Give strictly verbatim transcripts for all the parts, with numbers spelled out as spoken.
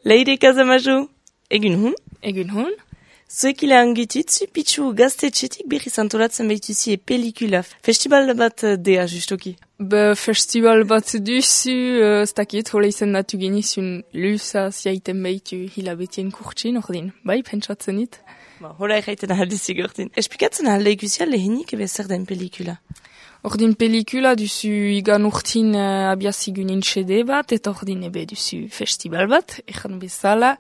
Leire Kazamaju, egun hun? Egun hun? Zuek ilan gutitzu, pitzu gaztetxetik berriz antolatzen behituzi e pelikula. Festival bat dea, justoki. Be festival bat duzu, uh, ez dakit, hola izan datu genizun lusa ziaiten behitu hilabetien kurtsin, ordin, bai, pentsatzen dit. Ba, hola erraiten aldezik ordin. Esplikatzen alde ikusia lehenik ebe zer den pelikula? Ordin pelikula duzu igan urtin uh, abiazigunin xede bat, eta ordin ebe duzu festival bat, ejan bezala,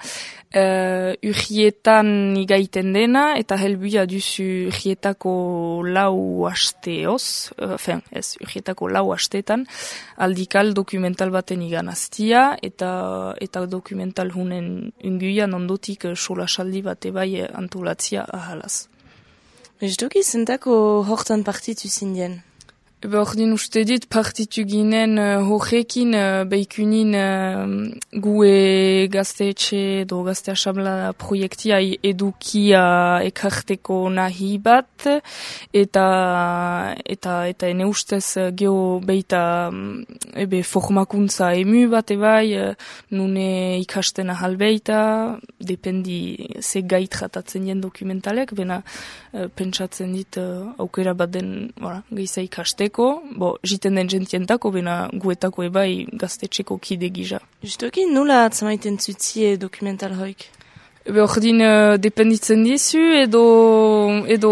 uh, urrietan igaiten dena, eta helbuia duzu urrietako lau hasteoz, uh, fen, ez, urrietako lau hastetan, aldikal dokumental baten igan aztia, eta, eta dokumental hunen unguian ondotik uh, solasaldi bate bai antolatzia ahalaz. Bezdoki zentako hortan partitu zindien? Ebe ordin uste dit partitu ginen uh, horrekin uh, beikunin uh, gue gazteetxe edo gazte asabla proiektia edukia ekarteko nahi bat eta eta eta ene ustez uh, geho beita um, ebe formakuntza emu bat ebai uh, nune ikasten ahal beita dependi ze gait jatatzen jen dokumentalek bena uh, pentsatzen dit uh, aukera bat den voilà, gehiza ikasteko. Bo, jiten den jentientako, bena guetako ebai gaztetxeko kide gija. Justoki, nula atzamaiten zutzie dokumental hoik? Ebe ordin uh, dependitzen dizu, edo, edo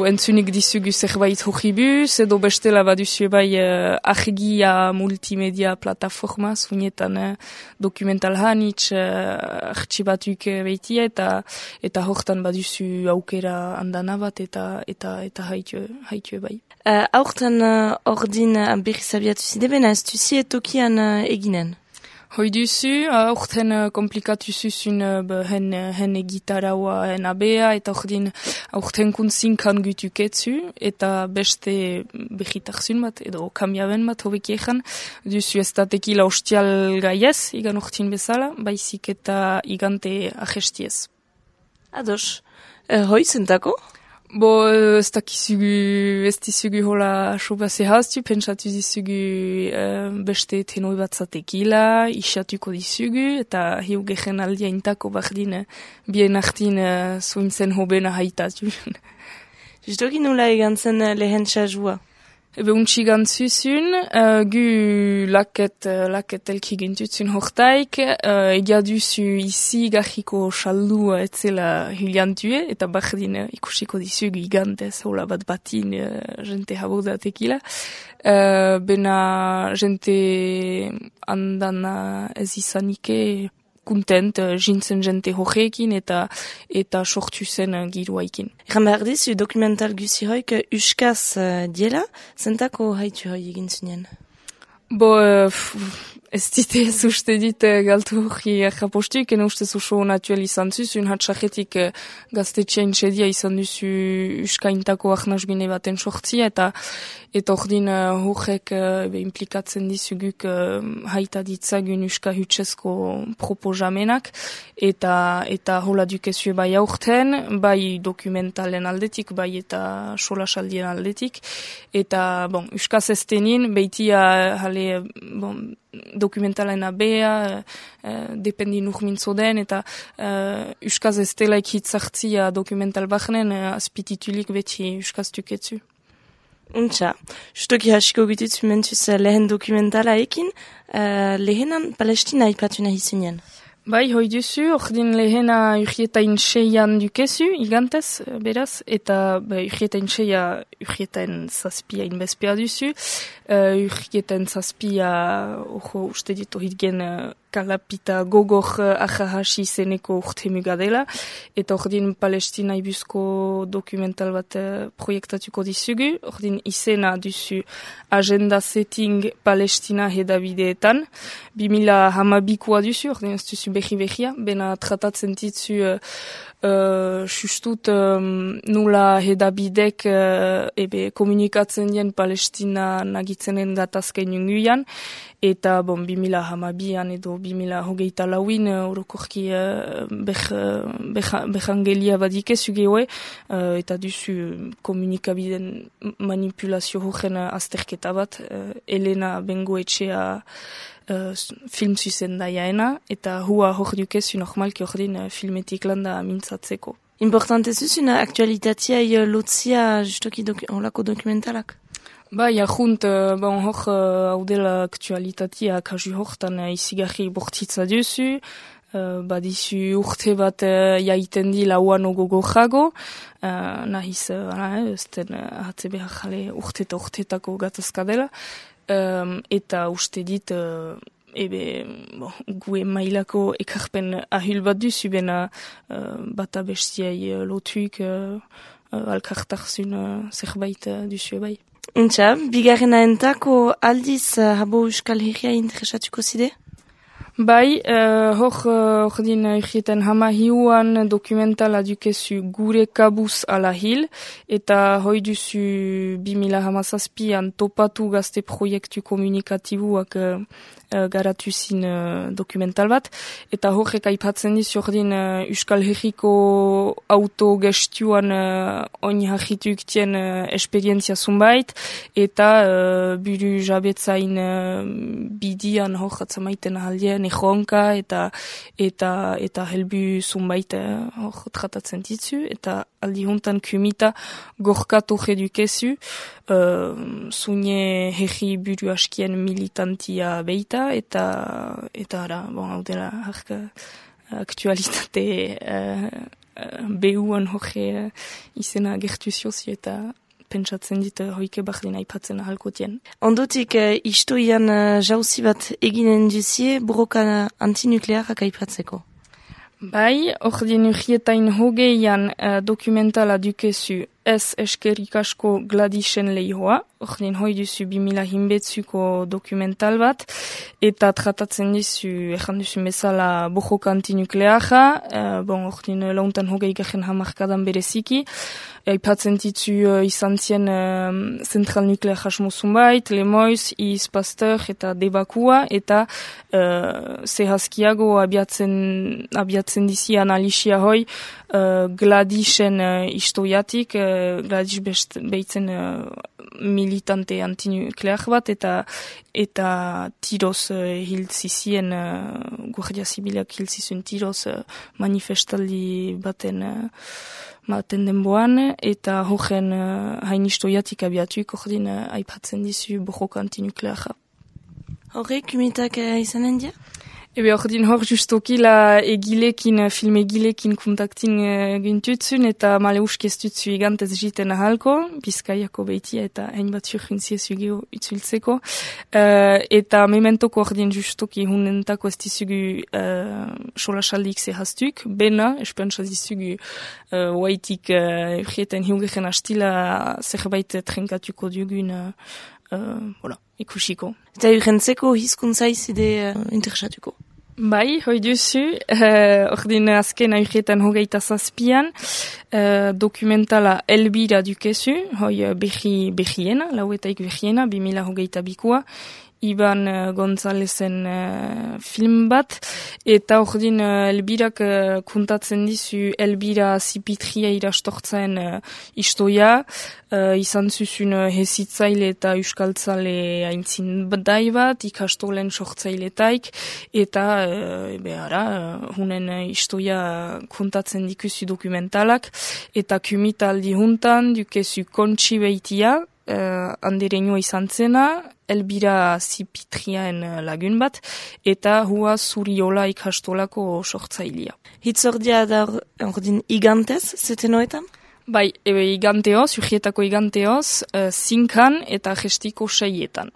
entzunik dizugu zerbait horribuz, edo bestela baduzu ebai uh, argia multimedia plataforma, zuinetan uh, dokumental hanitz uh, artxibatuk behitia, eta eta hortan baduzu aukera andana bat, eta eta eta haitu, haitu ebai. Uh, Aurten uh, ordin uh, berriz abiatu zidebena, ez duzi etokian uh, eginen? Hoi duzu, aurten uh, komplikatu zuzun uh, hen, hen egitaraua hen abea, eta ordin aurten kuntzinkan gutuketzu, eta beste behitarzun bat, edo kamiaben bat hobeki ezan, duzu ez datekila ostial gaiez, igan urtin bezala, baizik eta igante ahestiez. Ados, uh, hoi zentako? Bo, ez dakizugu, ez dizugu hola soba zehaztu, pentsatu dizugu uh, beste tenoi bat zatekila, isatuko dizugu, eta hiu gehen aldia intako bardin, bien artin uh, zuintzen hobena haitatu. Justoki nula egan zen lehen txazua? Ebe untsi gantzuzun, uh, gu laket, uh, laket elki gintutzun hortaik, uh, egia duzu izi gajiko saldua etzela hiliantue, eta bardin uh, ikusiko dizugu igantez, hola bat batin uh, jente habodatekila. Uh, bena jente andana ez izanike kontent, uh, jintzen jente horrekin eta eta sortu zen uh, giruaikin. Egan behar dizu dokumental guzi hoik uh, uskaz uh, diela, zentako haitu hoi egin zinen? Bo, uh, ez dite ez uste dit uh, galtu hori errapostuk, ene uste oso natuel izan zuzun, hatxaketik uh, gaztetxean txedia izan duzu uskaintako ahnazbine baten sortzia, eta eta ordin uh, horrek uh, implikatzen dizuguk uh, haita ditzagun uska hutsezko proposamenak, eta eta hola dukezue bai aurten, bai dokumentalen aldetik, bai eta solasaldien aldetik, eta bon, uskaz eztenin, behitia hale bon, dokumentalen abea, uh, dependi nurmintzo den, eta uh, uskaz ez delaik hitzartzia dokumental bahnen, uh, azpititulik beti uskaz tuketzu. Untxa, justoki hasiko gutitzu mentuz lehen dokumentala ekin, uh, lehenan Palestina ipatu nahi zinen. Bai, hoi duzu, ordin lehena urrietain seian dukezu, igantez, beraz, eta ba, urrietain seia urrietain zazpia inbezpea duzu, uh, urrietain zazpia, ojo, uste ditu hitgen uh, kalapita gogor uh, ahahasi zeneko urte mugadela, eta ordin Palestina ibuzko dokumental bat uh, proiektatuko dizugu, ordin izena duzu agenda setting Palestina hedabideetan, bimila hamabikoa duzu, ordin ez duzu behi-behia, bena tratatzen ditzu uh, uh, justut um, nula hedabidek uh, ebe komunikatzen dien Palestina nagitzenen gatazken junguian, eta bon, bimila hamabian edo bimila hogeita lauin orokorki uh, behangelia badikezu gehoe, uh, eta duzu komunikabiden manipulazio horren azterketa bat, uh, Elena Bengoetxea uh, film zuzendaiaena, eta hua hor dukezu normalki hor din uh, filmetik landa mintzatzeko. Importante zuzuna aktualitatea lotzia justoki doku, olako dokumentalak? Bai, ahunt, bon, hor, hau uh, dela aktualitatea kasu hortan uh, izigarri bortitza duzu, uh, badizu urte bat uh, jaiten di lauan ogogo jago, uh, nahiz, uh, ez den, uh, hatze behar jale urte eta urtetako gatazka dela, um, eta uste dit, uh, ebe, bon, gue mailako ekarpen ahil bat duzu, bena uh, bata bestiai uh, lotuik uh, uh, alkartarzun uh, zerbait uh, duzu bai. Untxa, bigarrena entako aldiz uh, habo Euskal Herria interesatuko zide? Bai, uh, hor, uh, hor din urrieten hama hiuan dokumentala dukezu gure kabuz ala hil, eta hoi duzu bimila hamazazpian topatu gazte proiektu komunikatibuak uh, uh, garatu zin uh, dokumental bat, eta horrek aipatzen dizu hor din uh, Euskal Herriko autogestuan uh, oin hajitu iktien uh, esperientzia zunbait, eta uh, buru jabetzain uh, bidian hor atzamaiten ahaldien erronka eta eta eta helbu zunbait uh, hor tratatzen ditzu, eta aldi hontan kumita gorkatu edukezu, uh, zune herri buru askien militantia beita, eta eta ara, bon, hau dela harka aktualitate uh, uh, behuan horre uh, izena gertu ziozio eta pentsatzen dit uh, hoike bardin aipatzen ahalkotien. Ondotik, uh, istoian uh, jauzi bat eginen duzie borroka antinuklearak aipatzeko. Bai, ordin urrietain hogeian uh, dokumentala dukezu ez eskerik asko Gladisen lehihoa, ordin hoi duzu bimila hinbetzuko dokumental bat, eta tratatzen dizu, ejan duzu bezala borroka antinukleara, uh, bon, ordin launtan hogei garen hamarkadan bereziki, aipatzen ditzu uh, izan zien uh, zentral nuklear jasmo zunbait, Lemoiz, Iz Pasteur eta Debakua, eta uh, zehazkiago abiatzen, abiatzen dizi analisia hoi uh, Gladisen uh, istoiatik, uh, Gladis best, behitzen uh, militante antinuklear bat, eta eta tiroz uh, hiltzizien, uh, Guardia Zibilak hiltzizun tiroz uh, manifestaldi baten uh, maten denboan, eta horren uh, hain istoiatik abiatuik ordin uh, aipatzen dizu borroka antinukleara. Horrek, kumitak uh, izanen dia? Ebe ordin hor justoki la egilekin, film egilekin kontaktin uh, gintutzun, eta male usk ez dutzu igantez jiten ahalko, Bizkaiako behitia eta hain bat surjuntziez geho itzultzeko. Uh, eta mementoko ordin justoki hunentako ez dizugu uh, solasaldik zehaztuk, bena, espentsa dizugu uh, waitik uh, urrieten hiugegen astila zerbait trenkatuko dugun uh, uh, voilà, ikusiko. Eta urrentzeko hizkuntza izide uh, interesatuko? Bai, hoi duzu, uh, ordin azken aurretan hogeita zazpian, uh, dokumentala Elbira dukezu, hoi uh, behi, behiena, lauetaik behiena, bimila hogeita bikua, Iban uh, Gonzalezen uh, film bat, eta ordin uh, Elbirak uh, kuntatzen dizu Elbira Zipitria irastortzen uh, istoia, uh, izan zuzun uh, hezitzaile eta euskaltzale haintzin badai bat, ikastolen sortzailetaik, eta uh, behara, uh, hunen uh, istoia kuntatzen dikuzu dokumentalak, eta kumita aldi juntan dukezu kontsi behitia, uh, andereño izan zena, Elbira Zipitriaen lagun bat, eta hua Zuriola ikastolako sortzailia. Hitzordia da ordin igantez, zeten hoetan? Bai, ebe iganteoz, urrietako iganteoz, uh, zinkan eta gestiko seietan.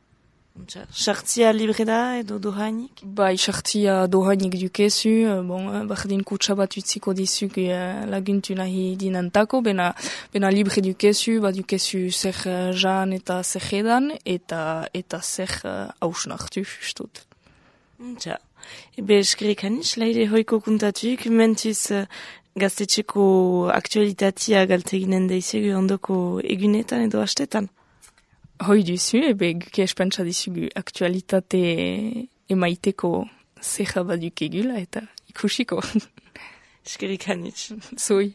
Sartzia libre da edo dohainik? Bai, sartzia dohainik dukezu, bon, bardin kutsa bat utziko dizuk uh, laguntu nahi dinantako, bena, bena libre dukezu, bat dukezu zer uh, jan eta zer edan, eta, eta zer uh, hausnartu justut. Tja, ebe eskerik hanis, laire hoiko kuntatuik, mentuz uh, gaztetxeko aktualitatea galteginen daizegu ondoko egunetan edo hastetan? Hoi duzu, ebe guke espentsa dizugu aktualitate emaiteko zerra baduk egula eta ikusiko. Eskerik hanitz. Zoi.